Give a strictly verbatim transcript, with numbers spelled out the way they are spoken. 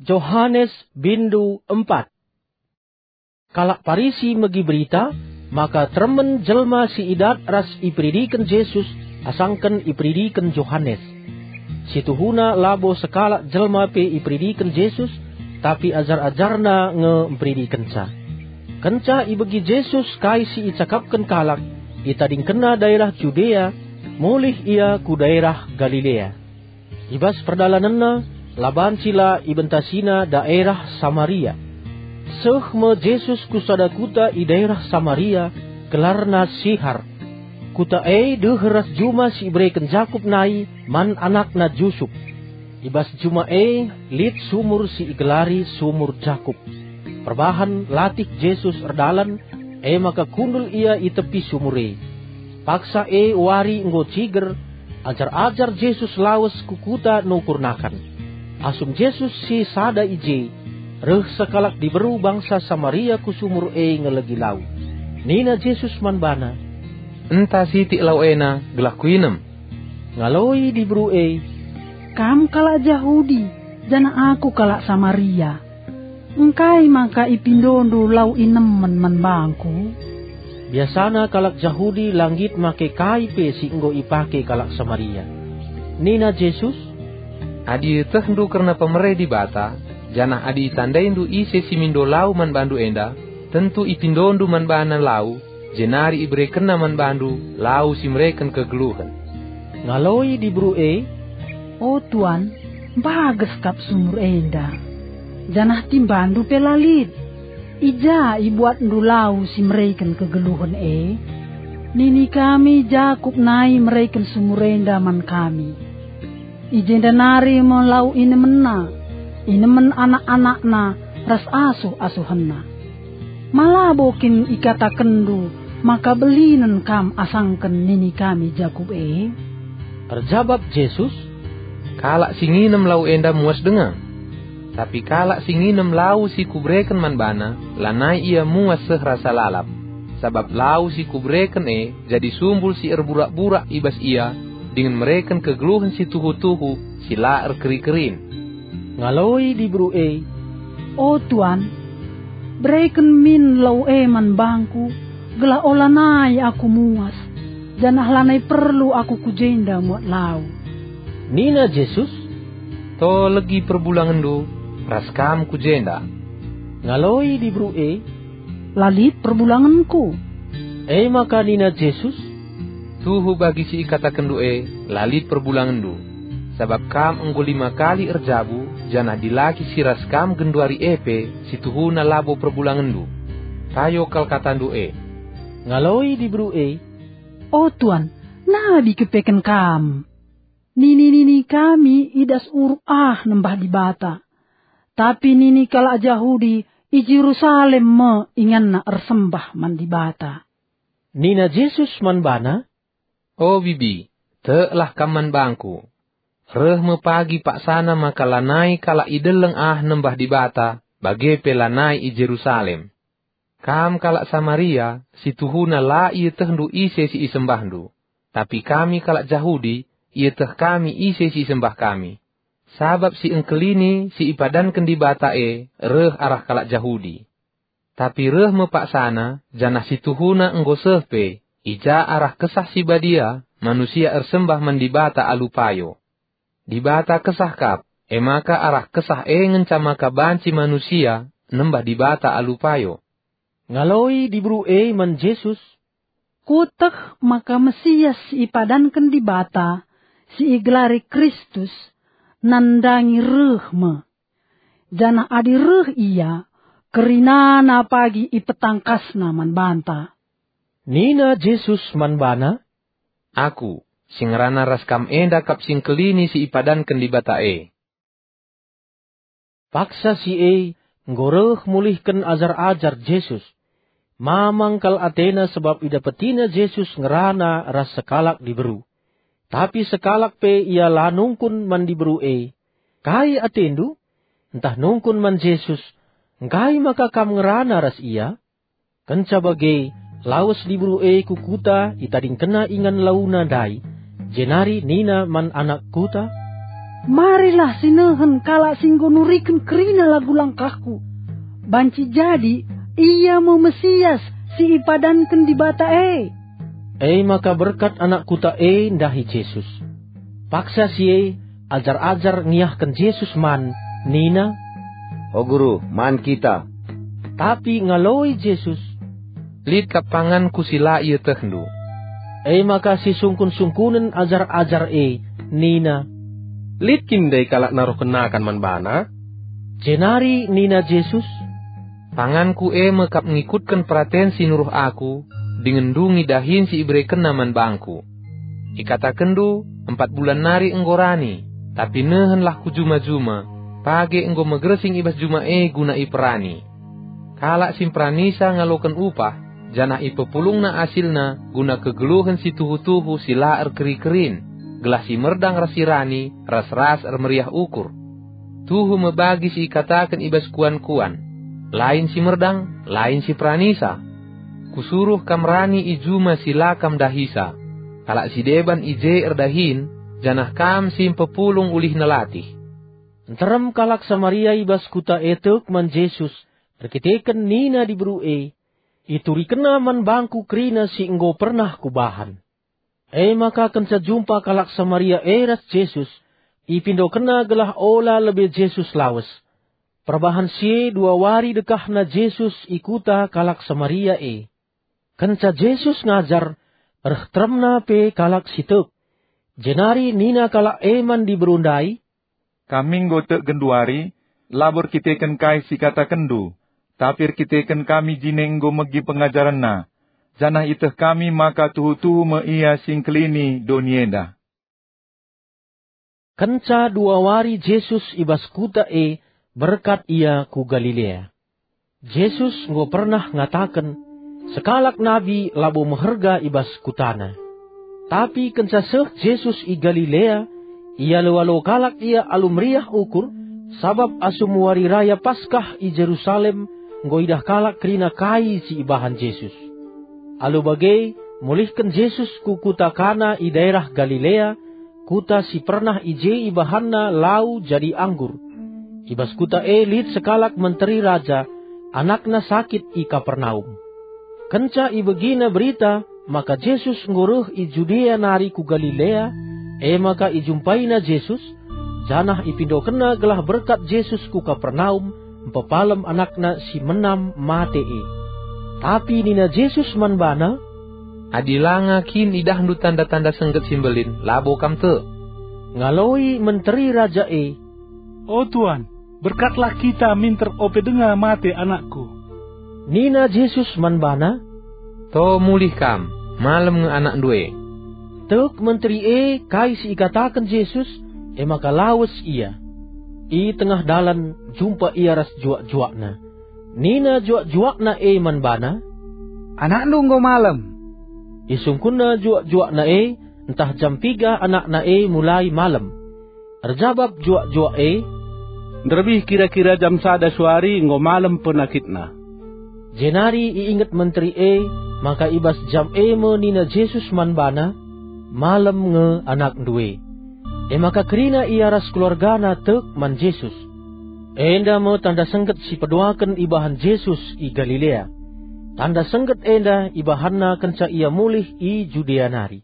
Johanes bindu empat. Kalak Parisi megi berita maka teremen jelma si idat ras iperidiken Jesus asangken iperidiken Johanes. Situhuna labo sekalak jelma pe iperidiken Jesus, tapi ajar-ajarNa nge mperidikenca. Kenca ibegi Jesus kai si icakapken kalak, itadingkenNa daerah Judea, mulih Ia ku daerah Galilea. I bas perdalanenNa, la banci la ibentasiNa daerah Samaria. Seh me Jesus ku sada kuta i daerah Samaria, gelarna Sihar. Kuta e deher ras juma si ibereken Jakup nai man anakna Jusup. I bas juma e lit sumur si igelari Sumur Jakup. Perbahan latih Jesus erdalan, e maka kundul Ia i tepi sumur e. Paksa e wari enggo ciger, ajar-ajar Jesus lawes ku kuta nukur nakan. Asum Jesus si sada i je, reh sekalak diberu bangsa Samaria ku sumur e ngelegi lau. Nina Jesus man bana, "Enta sitik lau ena gelah kuinem." Ngaloi diberu e, "Kam kalak Jahudi, janah aku kalak Samaria. Engkai maka ipindondu lau inemen man bangku?" Biasana kalak Jahudi la nggit make kai pe si enggo ipake kalak Samaria. Nina Jesus, "Adi ietehndu kerna pemere Dibata, janah adi itandaindu ise si mindo lau man bandu enda, tentu ipindondu man bana lau, jenari iberekenna man bandu lau si mereken kegeluhen." Ngaloi diberu e, "O Tuan, mbages kap sumur enda, janah timbandu pe la lit. I ja ibuatndu lau si mereken kegeluhen e? Nini kami Jakup nai mereken sumur enda man kami. I jenda nari me lau inemenna, inemen anak-anakna ras asuh-asuhenna. Ma labo kin ikatakenndu maka belinen kam asangken nini kami Jakup e?" Erjabap Jesus, "Kalak si nginem lau enda muas denga. Tapi kalak si nginem lau si Kubereken man bana, lanai ia muas seh rasa lalap. Sabap lau si Kubereken e jadi sumbul si erburak-burak i bas ia, dingen mereken kegeluhen si tuhu-tuhu si la erkeri-kerin." Ngaloi diberu e, "O Tuan, bereken min lau e man bangku, gelah olanai aku muas, janah lanai perlu aku ku jenda muat lau." Nina Jesus, "To legi perbulangenndu, ras kam ku jenda." Ngaloi diberu e, "La lit perbulangenku." E maka nina Jesus, "Tuhu bagi si ikatakenndu e, la lit perbulangenndu. Sabap kam enggo lima kali erjabu, janah dilaki si ras kam genduari e pe, si tuhuna labo perbulangenndu. Payo kal katandu e." Ngaloi diberu e, "O Tuan, nabi kepeken kam. Nini-nini kami i das uruk ah nembah Dibata. Tapi nini kalak Jahudi i Jerusalem me inganna ersembah man Dibata." Nina Jesus man bana, "O bibi, teklah kam man bangku. Reh me pagi paksana maka lanai kalak i deleng ah nembah Dibata, bage pe lanai i Jerusalem. Kam kalak Samaria, si tuhuna la ietehndu ise si isembahndu, tapi kami kalak Jahudi, ieteh kami ise si isembah kami. Sabap si engkelini si ipadanken Dibata e reh arah kalak Jahudi. Tapi reh me paksana, janah si tuhuna enggo seh pe, i ja arah Kesah Si Badia manusia ersembah man Dibata alu payo. Dibata Kesah kap, e maka arah Kesah e ngenca maka banci manusia nembah Dibata alu payo." Ngaloi diberu e man Jesus, "Kueteh maka Mesias si ipadanken Dibata, si igelari Kristus, nandangi reh me. Janah adi reh Ia, kerinana pagi ipetangkasNa man banta." Nina Jesus man bana, "Aku, si ngerana ras kam enda kap si engkelini si ipadanken Dibata e." Paksa si e enggo reh mulihken ajar-ajar Jesus. Mamang kal atena sabap idapetina Jesus ngerana ras sekalak diberu. Tapi sekalak pe ia la nungkun man diberu e, "Kai atendu?" Ntah nungkun man Jesus, "Engkai maka kam ngerana ras ia?" Kenca bage, lawes diberu e ku kuta, itadingkenna ingan launa ndai, jenari nina man anak kuta, "Marilah si nehen kalak si enggo nuriken kerina lagu langkahku. Banci jadi ia me Mesias si ipadanken Dibata e." E maka berkat anak kuta e ndahi Jesus. Paksa si e, ajar-ajar ngiahken Jesus man, nina, "O Guru, man kita." Tapi ngaloi Jesus, "Lit kap panganKu si la ietehndu." E maka sisungkun-sungkunen ajar-ajar e nina, "Lit kin ndai kalak naruhken nakan man baNa?" Jenari nina Jesus, "PanganKu e me kap ngikutken peraten si nuruh Aku, dingen ndungi dahin si iberekenNa man bangKu. Ikatakenndu, 'Empat bulan nari enggo rani,' tapi nehenlah ku juma-juma, page enggo megersing i bas juma e guna iperani. Kalak si mperanisa ngaloken upah, janah ipepulungna asilna guna kegeluhen si tuhu-tuhu si la erkeri-kerin, gelah si merdang ras si rani ras-ras ermeriah ukur. Tuhu me bagi si ikataken i bas kuan-kuan, 'Lain si merdang, lain si peranisa.' Kusuruh kam rani i juma si la kam dahisa. Kalak si deban i je erdahin, janah kam si mpepulung ulihna latih." Nterem kalak Samaria i bas kuta e tek man Jesus erkiteken nina diberu e, "IturikenNa man bangku kerina si enggo pernah kubahan." E maka kenca jumpa kalak Samaria e ras Jesus, ipindokenna gelah ola lebe Jesus lawes. Perbahan si e dua wari dekahna Jesus i kuta kalak Samaria e. Kenca Jesus ngajar, reh teremna pe kalak si tek. Jenari nina kalak e man diberu ndai, "Kami enggo tek genduari, labo erkiteken kai si ikatakenndu, tapi erkiteken kami jine enggo megi pengajarenNa, janah ieteh kami maka tuhu-tuhu me IA si Engkelini doni enda." Kenca dua wari Jesus i bas kuta e, berkat Ia ku Galilea. Jesus enggo pernah ngataken, "Sekalak nabi labo meherga i bas kutana." Tapi kenca seh Jesus i Galilea, ialo-alo kalak Ia alu meriah ukur, sabap asum Wari Raya Paskah i Jerusalem enggo idah kalak kerina kai si ibahan Jesus. Alu bage, mulihken Jesus ku kuta Kana i daerah Galilea, kuta si pernah i je ibahanNa lau jadi anggur. I bas kuta e lit sekalak menteri raja, anakna sakit i Kapernaum. Kenca ibegina berita maka Jesus enggo reh i Judea nari ku Galilea, e maka ijumpaina Jesus, janah ipindokenna gelah berkat Jesus ku Kapernaum, mpepalem anakna si menam mate e. Tapi nina Jesus man bana, "Adi langa kin idahndu tanda-tanda sengget si mbelin, labo kam tek." Ngaloi menteri raja e, "O Tuan, berkatlah kita minter ope denga mate anakku." Nina Jesus man bana, "To mulih kam, malem nge anakndu e." Tek menteri e kai si ikataken Jesus, e maka lawes ia. I tengah dalan jumpa ia ras juak-juakna. Nina juak-juakna e man bana, "Anakndu enggo malem." Isungkunna juak-juakna e, ntah jam piga anakna e mulai malem. Erjabap juak-juak e, "Nderbih kira-kira jam sada suari enggo malem penakitna." Jenari iinget menteri e maka i bas jam e me nina Jesus man bana, "Malem nge anakndu e." E maka kerina ia ras keluargana tek man Jesus. Enda me tanda sengget si peduaken ibahan Jesus i Galilea. Tanda sengget enda ibahanNa kenca Ia mulih i Judea nari.